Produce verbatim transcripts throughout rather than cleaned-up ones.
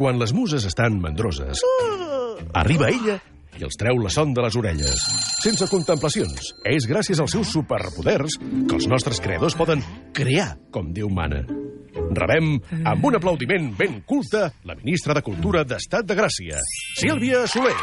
Quan les muses estan mandroses, arriba ella i els treu la son de les orelles. Sense contemplacions, és gràcies als seus superpoders que els nostres creadors poden crear com Déu mana. Rebem, amb un aplaudiment ben culte, la ministra de Cultura d'Estat de Gràcia, Sílvia Soler.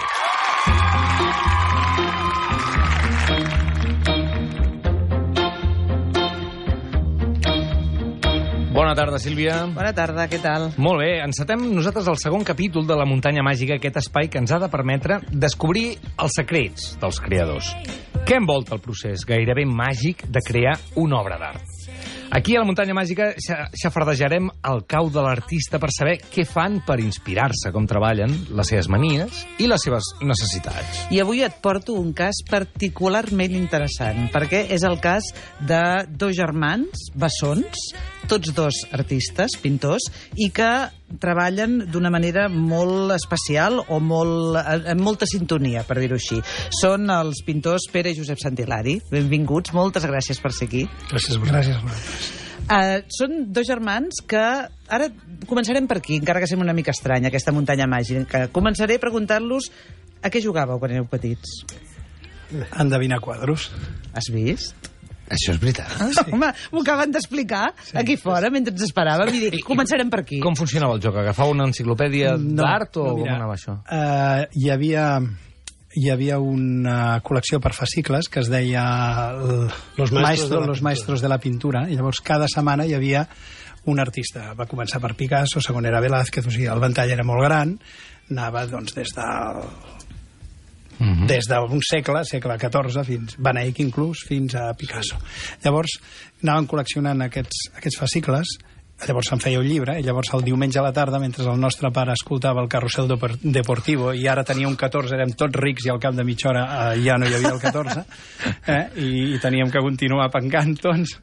Bona tarda, Sílvia. Bona tarda, què tal? Molt bé, encetem nosaltres el segon capítol de la Muntanya Màgica, aquest espai que ens ha de permetre descobrir els secrets dels creadors. Què envolta el procés gairebé màgic de crear una obra d'art? Aquí a la Muntanya Màgica xafardejarem el cau de l'artista per saber què fan per inspirar-se, com treballen, les seves manies i les seves necessitats. I avui et porto un cas particularment interessant, perquè és el cas de dos germans bessons, tots dos artistes, pintors, i que treballen d'una manera molt especial o molt, amb molta sintonia, per dir-ho així. Són els pintors Pere i Josep Santilari. Benvinguts, moltes gràcies per ser aquí. Gràcies a vosaltres. Uh, són dos germans que... Ara començarem per aquí, encara que sembla una mica estranya, aquesta muntanya màgica. Començaré preguntant-los a què jugàveu quan éreu petits. Endevinar quadros. Has vist? Això és veritat? Sí. Home, m'ho acaben d'explicar sí, aquí fora, sí. Mentre ens esperàvem, i dic, començarem per aquí. Com funcionava el joc? Agafava una enciclopèdia no, d'art o no, mira, com anava això? Uh, hi havia... hi havia una col·lecció per fascicles que es deia el, Los Maestros, Maestro, de, la Los Maestros de la Pintura, i llavors cada setmana hi havia un artista. Va començar per Picasso, segon era Velázquez, o sigui, el ventall era molt gran, anava doncs des del... Mm-hmm. des d'un segle, segle catorze, fins Van Eyck inclús, fins a Picasso. Llavors anaven col·leccionant aquests, aquests fascicles, llavors se'n feia un llibre, i llavors el diumenge a la tarda, mentre el nostre pare escoltava el Carrusel Deportivo, i ara tenia un catorze, érem tots rics, i al cap de mitja hora eh, ja no hi havia el catorze, eh, i, i teníem que continuar pencant, doncs,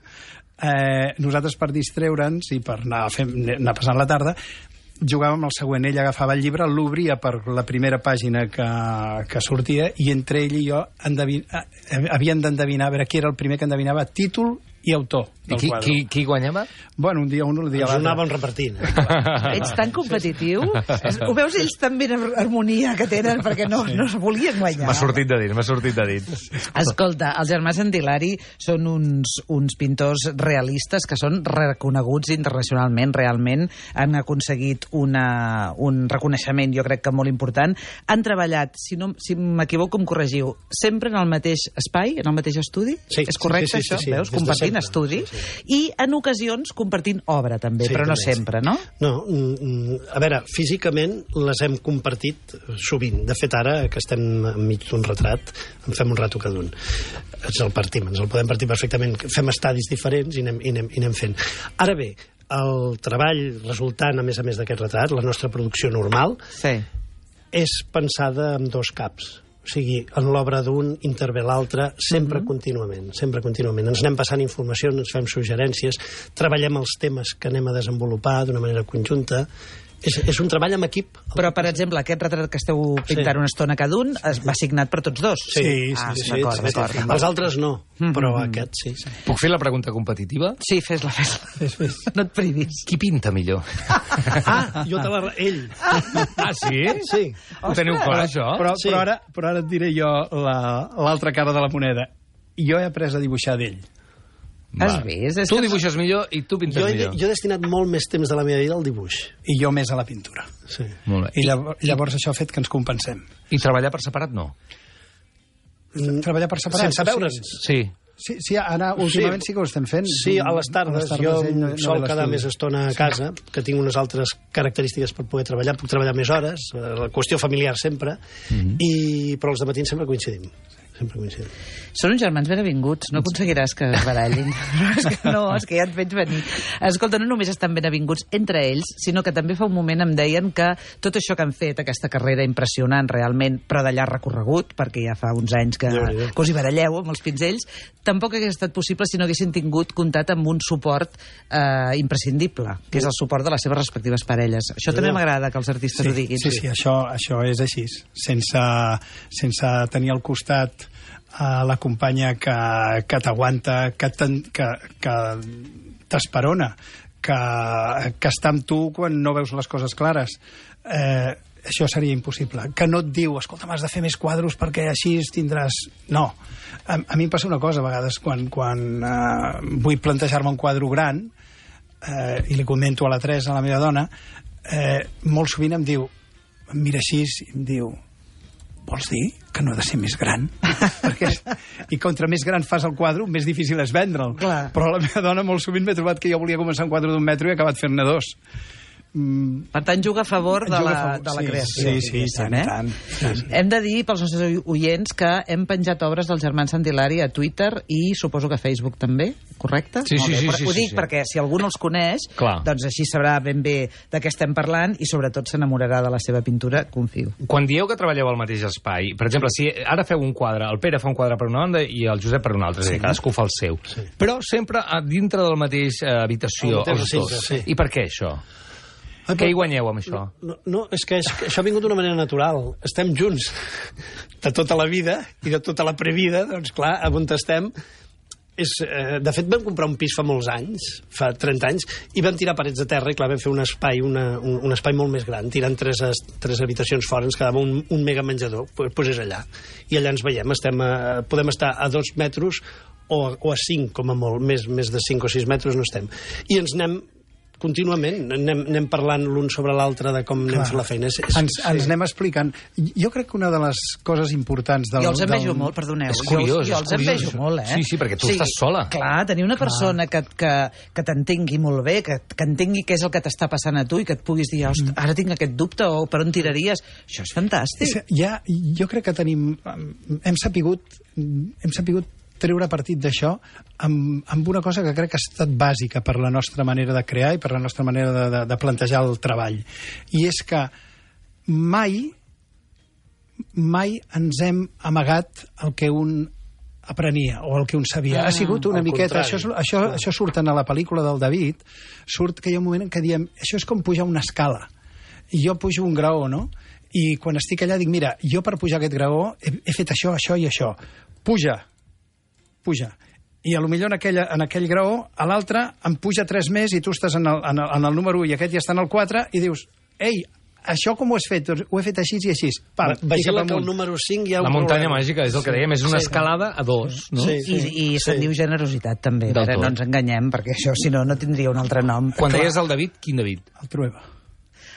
eh, nosaltres per distreure'ns i per anar, fent, anar passant la tarda, jugàvem el següent. Ell agafava el llibre, l'obria per la primera pàgina que, que sortia, i entre ell i jo endevin... havien d'endevinar, a veure qui era el primer que endevinava títol i autor del qui, quadre. Qui, qui guanyava? Bueno, un dia un, el dia Ens l'altre. anàvem repartint. Ets tan competitiu? Ho veus ells també en harmonia que tenen, perquè no, no es volien guanyar. M'ha sortit de dit, m'ha sortit de dit. Escolta, els germans Santilari són uns, uns pintors realistes que són reconeguts internacionalment, realment han aconseguit una, un reconeixement, jo crec que molt important. Han treballat, si, no, si m'equivoco em corregiu, sempre en el mateix espai, en el mateix estudi? Sí, és correcte, sí, sí, sí, això? sí, Veus? sí, Compartint sempre, estudi sí, sí. I en ocasions compartint obra també, Sí, però no també, sempre, no? No, a veure, físicament les hem compartit sovint. De fet, ara que estem enmig d'un retrat, en fem un rato cada un. Ens el partim, ens el podem partir perfectament. Fem estadis diferents i anem, i anem, i anem fent. Ara bé, el treball resultant, a més a més d'aquest retrat, la nostra producció normal, Sí. és pensada amb dos caps. O sigui, en l'obra d'un intervé l'altre, sempre mm-hmm. contínuament, sempre contínuament. Ens anem passant informació, ens fem suggerències, treballem els temes que anem a desenvolupar d'una manera conjunta. És, és un treball amb equip. Però, per exemple, aquest retrat que esteu pintant sí. una estona cada un es va signat per tots dos? Sí, sí, ah, sí, sí, d'acord, sí, d'acord. sí. Els altres no, però Mm-hmm. aquest sí. sí. Puc fer la pregunta competitiva? Sí, fes-la, fes-la. Fes, fes. No et privis. Qui pinta millor? Ah, jo te la... Ell. Ah, sí? Sí. Ho teniu clar, això? Però, Sí. però, ara, però ara et diré jo l'altra la, cara de la moneda. Jo he après a dibuixar d'ell. Has vist? És Tu que- dibuixes millor i tu pintes Jo he, millor. jo he destinat molt més temps de la meva vida al dibuix. I jo més a la pintura. Sí. Molt bé. I llavors, llavors això ha fet que ens compensem. I treballar per separat, no? Treballar per separat. Sense veure'ns. Sí. Sí, sí, ara últimament sí, sí que ho estem fent. Sí, a les tardes. A les tardes jo ell no, no sol ve quedar l'estudi. més estona a casa, que tinc unes altres característiques per poder treballar. Puc treballar més hores, la qüestió familiar sempre, mm-hmm. i, però els de matins sempre coincidim. Sempre coincidim. Són uns germans ben avinguts, no aconseguiràs que es barallin. és que no, és que ja et veig venir. Escolta, no només estan ben avinguts entre ells, sinó que també fa un moment em deien que tot això que han fet, aquesta carrera impressionant realment, però de llarg recorregut, perquè ja fa uns anys que, Déu-n'hi-do. que us hi baralleu amb els pinzells, tampoc hagués estat possible si no haguessin tingut comptat amb un suport eh, imprescindible, que és el suport de les seves respectives parelles. Això també m'agrada que els artistes Sí, ho diguin. sí, sí, això, això és així. Sense, sense tenir al costat a la companya que, que t'aguanta, que, ten, que, que t'esperona, que, que està amb tu quan no veus les coses clares. Eh, això seria impossible. Que no et diu, escolta, m'has de fer més quadros perquè així tindràs... No. A, a mi em passa una cosa, a vegades, quan, quan eh, vull plantejar-me un quadre gran, eh, i li comento a la Teresa, a la meva dona, eh, molt sovint em diu, em mira així i em diu, vols dir que no ha de ser més gran? Perquè, i contra més gran fas el quadre, més difícil és vendre'l. Clar. Però la meva dona molt sovint m'ha trobat que jo volia començar un quadre d'un metre i he acabat fent-ne dos. Mm. Per tant, juga a favor de la, a favor. de la Sí, creació. sí, sí, tant, eh? tant, tant. Hem de dir pels nostres oients que hem penjat obres dels germans Santilari a Twitter i suposo que a Facebook també, correcte? Sí, Molt sí, bé. sí, Però sí, ho dic sí, sí. perquè si algú no els coneix, Clar. doncs així sabrà ben bé de què estem parlant i sobretot s'enamorarà de la seva pintura, confio. Quan dieu que treballeu al mateix espai, per exemple, si ara feu un quadre, el Pere fa un quadre per una banda i el Josep per una altra, és a dir, cadascú fa el seu. Sí. Però sempre a dintre de la mateixa eh, habitació, El mateix els dos. recinte, sí. I per què això? Ah, Què hi guanyeu amb això? No, no és que és, que això ha vingut d'una manera natural. Estem junts de tota la vida i de tota la previda, doncs clar, on estem... És, eh, de fet, vam comprar un pis fa molts anys, fa trenta anys, i vam tirar parets de terra i, clar, vam fer un espai, una, un, un espai molt més gran, tirant tres, tres habitacions fora, ens quedava un, un mega menjador, doncs pues és allà. I allà ens veiem, estem a, podem estar a dos metres o, o a cinc, com a molt, més, més de cinc o sis metres no estem. I ens anem contínuament, anem, anem parlant l'un sobre l'altre de com anem Clar. fent la feina. És, és, Ens, ens anem explicant. Jo crec que una de les coses importants del... Jo els envejo del... molt, perdoneu. És curiós, jo, jo és els curiós. envejo molt, eh? Sí, sí, perquè tu estàs sola. Clar, tenir una persona que, que, que t'entengui molt bé, que, que entengui què és el que t'està passant a tu i que et puguis dir, ostres, ara tinc aquest dubte o per on tiraries, això és fantàstic. És, ja, jo crec que tenim... Hem sapigut, hem sapigut treure partit d'això amb, amb una cosa que crec que ha estat bàsica per la nostra manera de crear i per la nostra manera de, de, de plantejar el treball. I és que mai mai ens hem amagat el que un aprenia o el que un sabia. Ah, ha sigut una al miqueta... contrari. Això, això, això surt en la pel·lícula del David, surt que hi ha un moment en què diem això és com pujar una escala. I jo pujo un graó, no? I quan estic allà dic, mira, jo per pujar aquest graó he, he fet això, això i això. Puja, puja. I a lo millor en, aquella, en aquell graó, a l'altre em puja tres més i tu estàs en el, en el, en el número u i aquest ja està en el quatre i dius, ei, això com ho has fet? Doncs ho he fet així i així. Pa, Vigila que el número cinc hi ha La un muntanya problema. màgica, és el que dèiem, és una Sí. escalada a dos, no? Sí. I, i se'n sí. diu generositat, també. Del Ara, tot. no ens enganyem, perquè això, si no, no tindria un altre nom. Quan Clar. deies el David, quin David? El Trueba.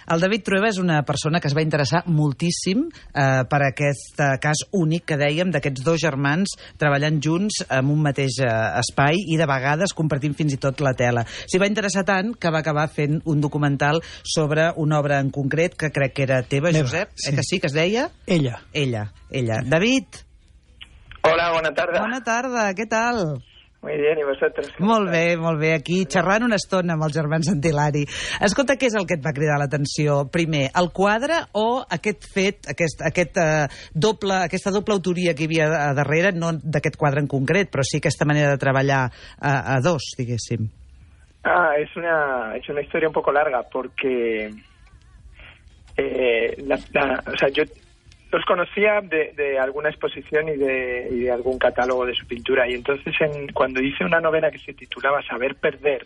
El David Trueba és una persona que es va interessar moltíssim eh, per aquest eh, cas únic que dèiem d'aquests dos germans treballant junts en un mateix eh, espai i de vegades compartint fins i tot la tela. S'hi va interessar tant que va acabar fent un documental sobre una obra en concret que crec que era teva, Meva, Josep, sí. eh, que sí, que es deia? Ella. Ella, ella. David, Hola, buena tarde. bona tarda, què tal? Muy bien, ¿y vosotros? Molt bé, molt bé. Aquí xerrant una estona amb els germans Santilari. Escolta, què és el que et va cridar l'atenció? Primer, el quadre o aquest fet, aquest, aquest, uh, doble, aquesta doble autoria que hi havia a darrere, no d'aquest quadre en concret, però sí aquesta manera de treballar a, a dos, diguéssim? Ah, es una, es una historia un poco larga porque eh, la, la, o sea, yo los conocía de, de alguna exposición y de, y de algún catálogo de su pintura, y entonces en, cuando hice una novela que se titulaba Saber Perder,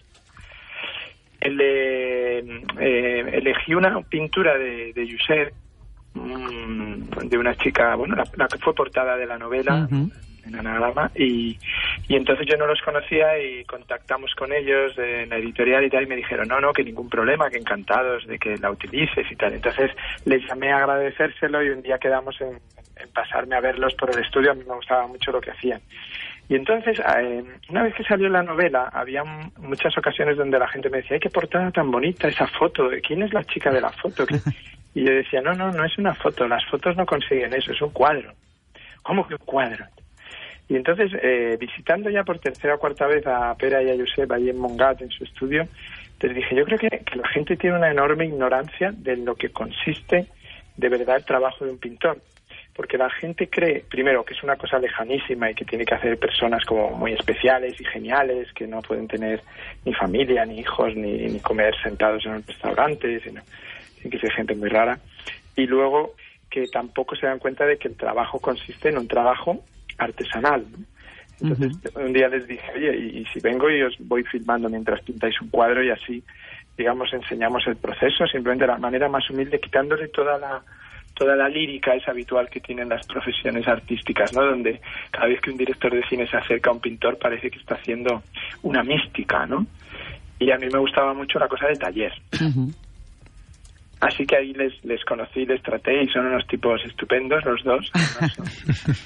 el de, eh, elegí una pintura de, de Josep, mmm, de una chica, bueno, la, la que fue portada de la novela, Uh-huh. en Anagrama, y, y entonces yo no los conocía y contactamos con ellos en la editorial y tal, y me dijeron, no, no, que ningún problema, que encantados de que la utilices y tal. Entonces les llamé a agradecérselo y un día quedamos en, en pasarme a verlos por el estudio. A mí me gustaba mucho lo que hacían. Y entonces, eh, una vez que salió la novela, había m- muchas ocasiones donde la gente me decía, ¡ay, qué portada tan bonita esa foto! ¿Quién es la chica de la foto? Y yo decía, no, no, no es una foto, las fotos no consiguen eso, es un cuadro. ¿Cómo que un cuadro? Y entonces, eh, visitando ya por tercera o cuarta vez a Pere y a Josep ahí en Montgat, en su estudio, les dije, yo creo que, que la gente tiene una enorme ignorancia de lo que consiste de verdad el trabajo de un pintor. Porque la gente cree, primero, que es una cosa lejanísima y que tiene que hacer personas como muy especiales y geniales, que no pueden tener ni familia, ni hijos, ni, ni comer sentados en un restaurante, sino tiene que ser gente muy rara. Y luego, que tampoco se dan cuenta de que el trabajo consiste en un trabajo artesanal, ¿no? Entonces uh-huh. un día les dije, oye, y, y si vengo y os voy filmando mientras pintáis un cuadro y así, digamos, enseñamos el proceso, simplemente de la manera más humilde, quitándole toda la toda la lírica es habitual que tienen las profesiones artísticas, ¿no? Donde cada vez que un director de cine se acerca a un pintor parece que está haciendo una mística, ¿no? Y a mí me gustaba mucho la cosa de taller. Uh-huh. Así que ahí les, les conocí, les traté y son unos tipos estupendos los dos. Son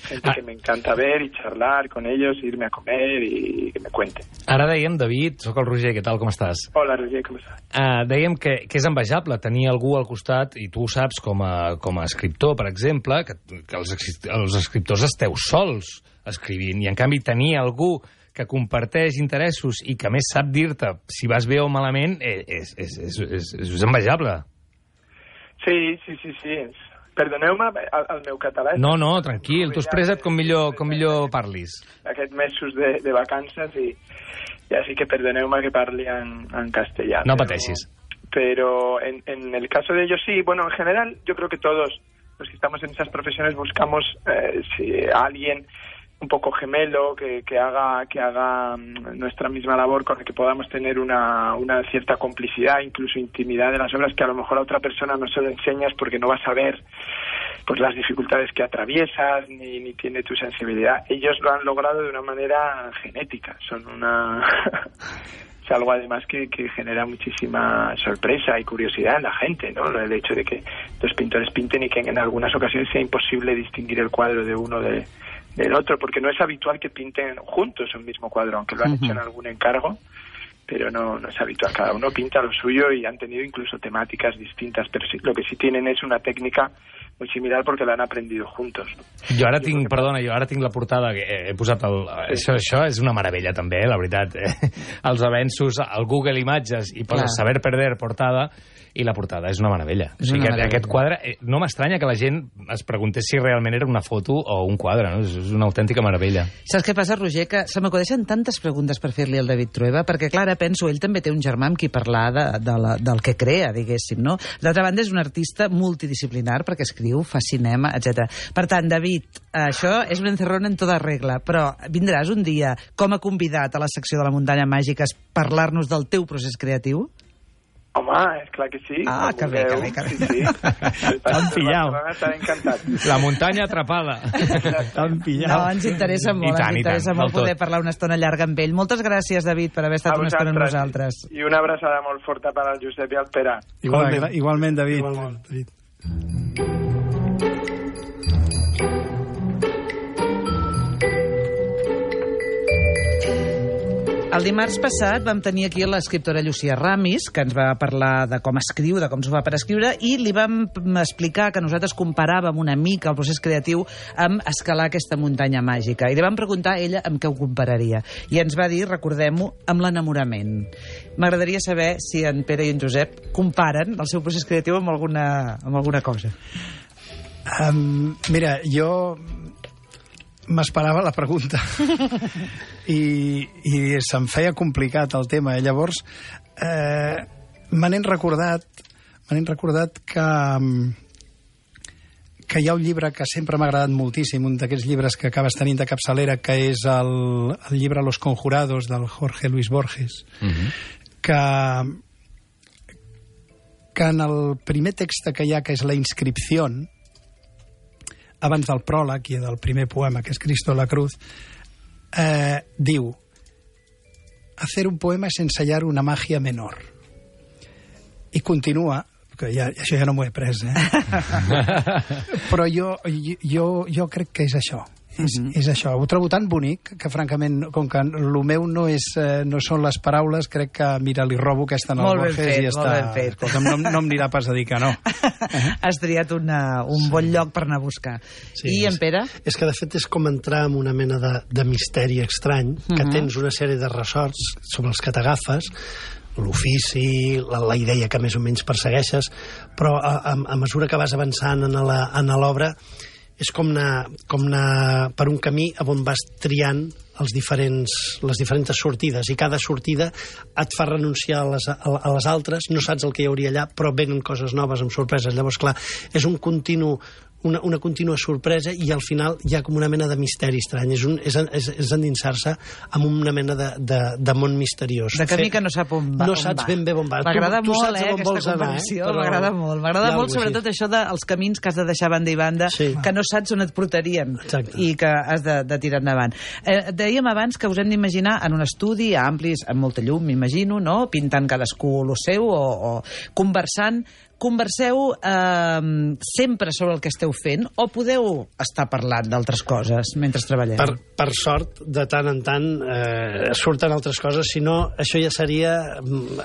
gente que me encanta ver i charlar con ellos, irme a comer i que me cuenten. Ara dèiem, David, sóc el Roger, què tal, com estàs? Hola, Roger, com estàs? Uh, dèiem que, que és envejable tenir algú al costat, i tu ho saps com a, com a escriptor, per exemple, que, que els, els escriptors esteu sols escrivint, i en canvi tenir algú que comparteix interessos i que més sap dir-te si vas bé o malament és, és, és, és, és envejable. Sí, sí, sí, sí. Perdoneu-me, el, el meu català... No, no, tranquil, tu expressa't com millor, com millor parlis. Aquests mesos de, de vacances i, i així que perdoneu-me que parli en, en castellà. No pero, pateixis. Pero en, en el caso de ellos sí, bueno, en general yo creo que todos los que estamos en esas profesiones buscamos eh, si alguien un poco gemelo, que, que haga que haga nuestra misma labor, con el que podamos tener una, una cierta complicidad, incluso intimidad de las obras que a lo mejor a otra persona no se lo enseñas porque no vas a ver pues las dificultades que atraviesas, ni, ni tiene tu sensibilidad. Ellos lo han logrado de una manera genética, son una... es algo además que, que genera muchísima sorpresa y curiosidad en la gente, ¿no? El hecho de que los pintores pinten y que en algunas ocasiones sea imposible distinguir el cuadro de uno de del otro, porque no es habitual que pinten juntos un mismo cuadro, aunque lo han uh-huh. hecho en algún encargo, pero no, no es habitual. Cada uno pinta lo suyo y han tenido incluso temáticas distintas, pero sí, lo que sí tienen es una técnica muy similar porque la han aprendido juntos. Jo ara tinc, perdona, jo ara tinc la portada, que he posat el... Això, això és una meravella també, la veritat. Els avenços al Google Imatges i poses Saber Perder portada, i la portada és una meravella. És una o sigui, meravella. Aquest quadre, no m'estranya que la gent es preguntés si realment era una foto o un quadre, no? És una autèntica meravella. Saps què passa, Roger? Que se m'acudeixen tantes preguntes per fer-li al David Trueba, perquè, clar, penso, ell també té un germà amb qui parlar de, de la, del que crea, diguéssim, no? D'altra banda, és un artista multidisciplinar, perquè escriu, fa cinema, etcètera. Per tant, David, això és un encerrón en tota regla, però vindràs un dia com a convidat a la secció de la Muntanya Màgica a parlar-nos del teu procés creatiu? Home, és clar que sí. Ah, que bé, que bé, que bé. Sí, sí. T'han pillat. Estaré encantat. La muntanya atrapada. T'han pillat. No, ens interessa molt, tant, ens interessa molt poder tot. Parlar una estona llarga amb ell. Moltes gràcies, David, per haver estat una estona amb nosaltres. I una abraçada molt forta per al Josep i al Pere. Igualment, igualment David. Igualment, David. El dimarts passat vam tenir aquí l'escriptora Llucia Ramis, que ens va parlar de com escriu, de com s'ho fa per escriure, i li vam explicar que nosaltres comparàvem una mica el procés creatiu amb escalar aquesta muntanya màgica. I li vam preguntar a ella amb què ho compararia. I ens va dir, recordem-ho, amb l'enamorament. M'agradaria saber si en Pere i en Josep comparen el seu procés creatiu amb alguna, amb alguna cosa. Um, mira, jo... m'esperava la pregunta i, i se'm feia complicat el tema. Llavors eh, me n'he recordat me n'he recordat que que hi ha un llibre que sempre m'ha agradat moltíssim, un d'aquests llibres que acabes tenint de capçalera, que és el, el llibre Los Conjurados del Jorge Luis Borges, uh-huh. que que en el primer text que hi ha, que és la inscripció, abans del pròleg i del primer poema, que és Cristo la Cruz, eh, diu: hacer un poema es ensayar una magia menor. I continua, que ja, això ja no m'ho he pres, eh? Però jo, jo, jo crec que és això. És, uh-huh. és això. Ho trobo tan bonic que, francament, com que el meu no, és, no són les paraules, crec que, mira, li robo aquesta en el molt Borges fet, i ja està. Escolta'm, no, no em anirà pas a dir que no. Has triat una, un bon lloc per anar a buscar. Sí, I en Pere? És, és que, de fet, és com entrar en una mena de, de misteri estrany, que uh-huh. tens una sèrie de ressorts sobre els que t'agafes, l'ofici, la, la idea que més o menys persegueixes, però a, a, a mesura que vas avançant en l'obra, és com anar, com anar per un camí on vas triant els diferents, les diferents sortides, i cada sortida et fa renunciar a les, a, a les altres, no saps el que hi hauria allà, però venen coses noves amb sorpreses. Llavors, clar, és un continu una, una contínua sorpresa i al final hi ha com una mena de misteri estrany. És, un, és, és, és endinsar-se en una mena de, de, de món misteriós. De camí que no sap on va. No saps ben bé on va. M'agrada tu, tu molt, eh, aquesta anar, comprensió. eh? Però... M'agrada molt. M'agrada molt, sobretot així. Això dels camins que has de deixar banda i banda, sí. que no saps on et portarien. Exacte. I que has de, de tirar endavant. Eh, dèiem abans que us hem d'imaginar en un estudi amplis, amb molta llum, m'imagino, no? Pintant cadascú lo seu o, o conversant. Converseu eh, sempre sobre el que esteu fent o podeu estar parlant d'altres coses mentre treballeu? Per, per sort, de tant en tant eh, surten altres coses, si no, això ja seria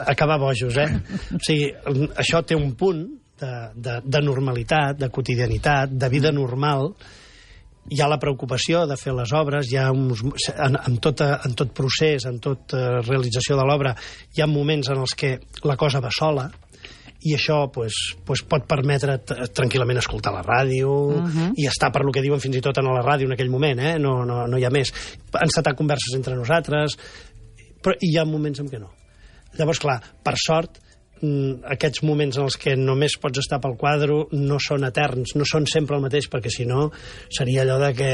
acabar bojos, eh? O sigui, això té un punt de, de, de normalitat, de quotidianitat, de vida normal. Hi ha la preocupació de fer les obres, hi ha uns, en, en, tot, en tot procés, en tota realització de l'obra, hi ha moments en els que la cosa va sola, i això pues, pues pot permetre tranquil·lament escoltar la ràdio uh-huh. i estar per lo que diuen fins i tot a la ràdio en aquell moment, eh? no, no, no hi ha més. Encetar converses entre nosaltres, però hi ha moments en què no. Llavors, clar, per sort, aquests moments en els que només pots estar pel quadre no són eterns, no són sempre el mateix, perquè si no seria allò de que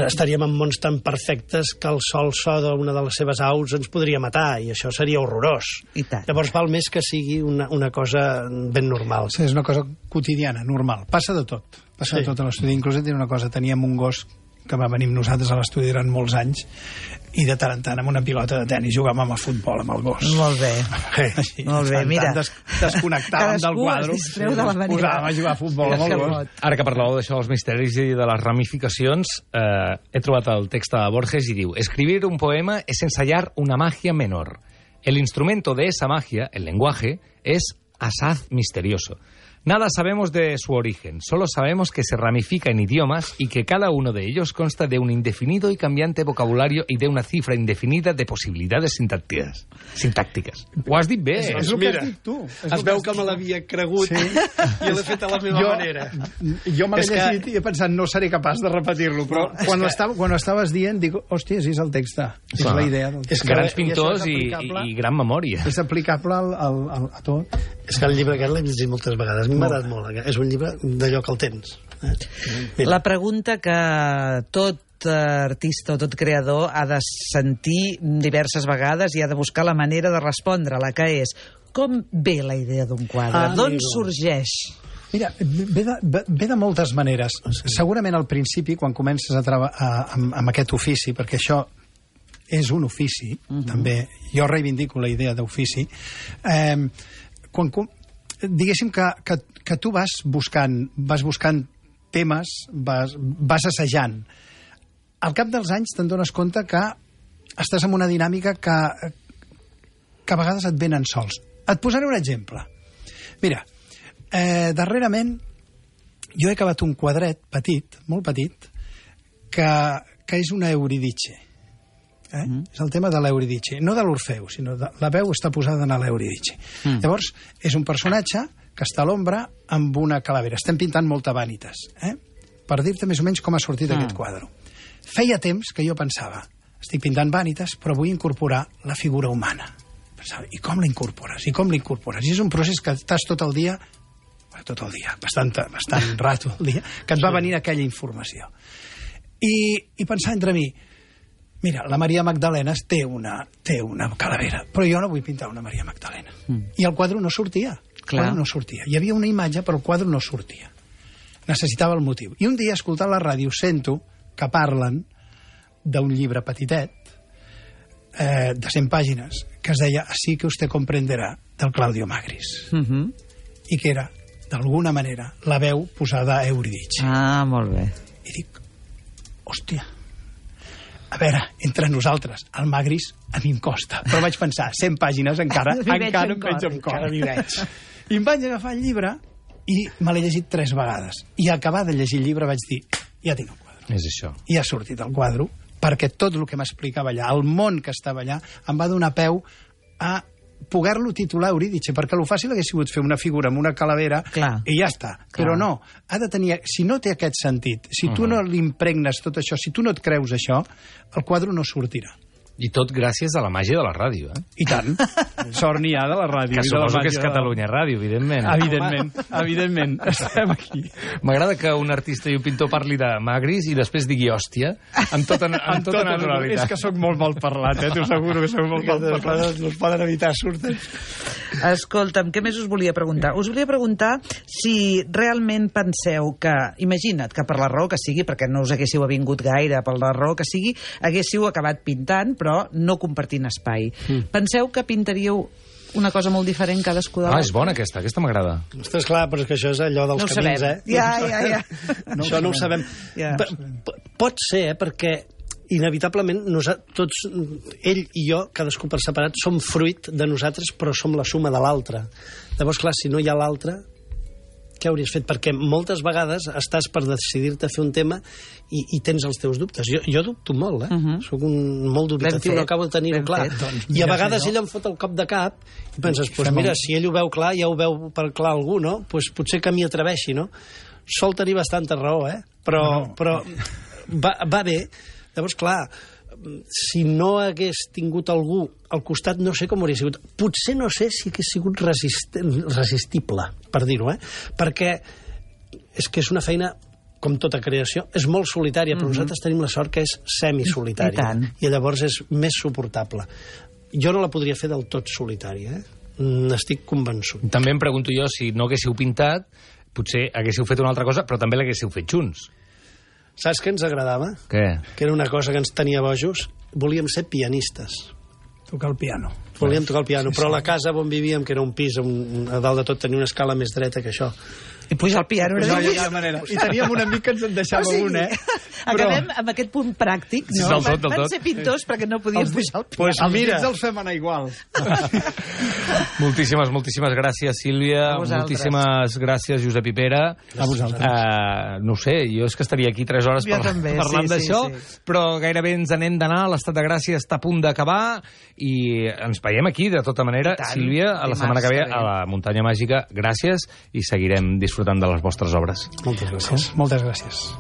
estaríem en mons tan perfectes que el sol so d'una de les seves aus ens podria matar, i això seria horrorós. I tant. Llavors val més que sigui una, una cosa ben normal. Sí, és una cosa quotidiana, normal. Passa de tot. Passa sí. de tot a l'estudi. Inclús et diré una cosa, teníem un gos que va venir amb nosaltres a l'estudi durant molts anys i de tant en tant amb una pilota de tenis jugàvem a futbol amb el gos. Molt bé. Així, molt bé, mira. Des desconnectàvem del quadre, posàvem a jugar a futbol amb el gos. Ara que parlàveu d'això dels misteris i de les ramificacions, eh, he trobat el text de Borges i diu: escribir un poema es ensayar una magia menor. El instrumento de esa magia, el lenguaje, es asaz misterioso. Nada sabemos de su origen, solo sabemos que se ramifica en idiomas y que cada uno de ellos consta de un indefinido y cambiante vocabulario y de una cifra indefinida de posibilidades sintácticas. sintáctiques. Ho has dit bé. És, és el que has dit tu. Es veu que me l'havia cregut sí. i l'he fet a la meva jo, manera. Jo me l'he llegit que... i he pensat no seré capaç de repetir-lo, però no, quan, que... estava, quan ho estaves dient dic, hòstia, és el text. És Clar. la idea del text. És que grans pintors i, i, i gran memòria. És aplicable al, al, al, a tot. És que el llibre aquest l'he llegit moltes vegades. A mi m'ha agradat molt. És un llibre d'allò que el tens. Eh? La pregunta que tot artista o tot creador ha de sentir diverses vegades i ha de buscar la manera de respondre, la que és: com ve la idea d'un quadre? Ah, D'on sorgeix? Mira, ve de, ve de moltes maneres. Sí. Segurament al principi, quan comences a treballar amb, amb aquest ofici, perquè això és un ofici, uh-huh. també, jo reivindico la idea d'ofici, eh, quan, diguéssim que, que, que tu vas buscant, vas buscant temes, vas, vas assajant. Al cap dels anys te'n dones compte que estàs en una dinàmica que, que a vegades et venen sols. Et posaré un exemple. Mira, eh, darrerament jo he acabat un quadret petit, molt petit, que, que és una Euridice. Eh? Mm. És el tema de l'Euridice, no de l'Orfeu, sinó de la veu està posada en l'Euridice. Mm. Llavors, és un personatge que està a l'ombra amb una calavera. Estem pintant molta vanitas, eh? per dir-te més o menys com ha sortit mm. aquest quadre. Feia temps que jo pensava, estic pintant vanitas, però vull incorporar la figura humana. Pensava, i com la incorpores? I com la incorpores? I és un procés que estàs tot el dia, bueno, tot el dia, bastant, bastant rato el dia, que et va venir aquella informació. I, i pensar entre mi, mira, la Maria Magdalena té una, té una calavera, però jo no vull pintar una Maria Magdalena. Mm. I el quadre no sortia. El quadre no sortia. Hi havia una imatge, però el quadre no sortia. Necessitava el motiu. I un dia, escoltant la ràdio, sento que parlen d'un llibre petitet, eh, de cent pàgines, que es deia Así que usted comprenderá, del Claudio Magris. Mm-hmm. I que era, d'alguna manera, la veu posada a Euridice. Ah, molt bé. I dic, hòstia, a veure, entre nosaltres, el Magris a mi em costa, però vaig pensar, cent pàgines encara, encara em veig amb cor. I em vaig agafar el llibre i me l'he llegit tres vegades. I a acabar de llegir el llibre vaig dir, ja tinc el quadre. És això. I ha sortit el quadre, perquè tot el que m'explicava allà, el món que estava allà, em va donar peu a poder-lo titular Euridice, perquè el fàcil hagués sigut fer una figura amb una calavera Clar. i ja està. Clar. Però no, ha de tenir, si no té aquest sentit, si tu uh-huh. no l'impregnes tot això, si tu no et creus això, el quadre no sortirà. I tot gràcies a la màgia de la ràdio, eh? I tant. Sort n'hi ha de la ràdio. Que i de la suposo que és màgia de la- Catalunya Ràdio, evidentment. Evidentment, evidentment. Estem aquí. M'agrada que un artista i un pintor parli de magris i després digui hòstia, amb tota, amb Amb tota tot, naturalitat. és que sóc molt mal parlat, eh? T'ho asseguro que sóc molt mal Les parlat. coses no es poden evitar, surten. Escolta'm, què més us volia preguntar? Us volia preguntar si realment penseu que, imagina't que per la raó que sigui, perquè no us haguéssiu avingut gaire, per la raó que sigui, haguéssiu acabat pintant, però no compartint espai. Mm. Penseu que pintaríeu una cosa molt diferent cadascú de Ah, l'altre? és bona aquesta, aquesta m'agrada. Ostres, clar, però és que això és allò dels No ho camins, sabem. eh? Ja, ja, ja. No això no ho sabem. Ja. P- p- Pot ser, eh, perquè inevitablement nosaltres, tots, ell i jo, cadascú per separat, som fruit de nosaltres, però som la suma de l'altre. Llavors, clar, si no hi ha l'altre, què hauries fet? Perquè moltes vegades estàs per decidir-te a fer un tema i, i tens els teus dubtes. Jo, jo dubto molt, eh? Uh -huh. Soc un, molt dubitatiu, Ben fet, no acabo de tenir-ho ben clar. fet. Doncs I mira, a vegades senyor. ell em fot el cop de cap i penses, pues Fem mira, un- si ell ho veu clar, ja ho veu per clar algú, no? Pues potser que m'hi atreveixi, no? Sol tenir bastanta raó, eh? Però, No. però va, va bé. Llavors, clar, si no hagués tingut algú al costat, no sé com hauria sigut. Potser no sé si hagués sigut resist resistible, per dir-ho, eh? Perquè és que és una feina, com tota creació, és molt solitària, però mm -hmm. nosaltres tenim la sort que és semisolitària. I tant. I llavors és més suportable. Jo no la podria fer del tot solitària, eh? N'estic convençut. També em pregunto jo si no haguéssiu pintat, potser haguéssiu fet una altra cosa, però també l'haguéssiu fet junts. Saps què ens agradava? Què? Que era una cosa que ens tenia bojos. Volíem ser pianistes. Tocar el piano. Volíem tocar el piano, però la casa on vivíem, que era un pis, on, a dalt de tot tenia una escala més dreta que això. I pujar al piano era No hi difícil. havia manera. I teníem un amic que ens en deixava O sigui, un, eh? Acabem amb aquest punt pràctic, no? Del tot, del Van tot. ser pintors perquè no podien pujar al piano. Pues Els mira, dits els fem anar igual. Moltíssimes, moltíssimes gràcies, Sílvia. A vosaltres. Moltíssimes gràcies, Josep i Pere. A vosaltres. Uh, no ho sé, jo és que estaria aquí tres hores Jo parlant, també, parlant sí, sí, d'això, sí. però gairebé ens n'hem d'anar. L'estat de gràcia està a punt d'acabar i ens veiem aquí, de tota manera. I tant. Sílvia, a la Dimarts setmana que ve que ve. a la Muntanya Màgica. Gràcies i seguirem disfrutant de les vostres obres. moltes gràcies. Moltes gràcies.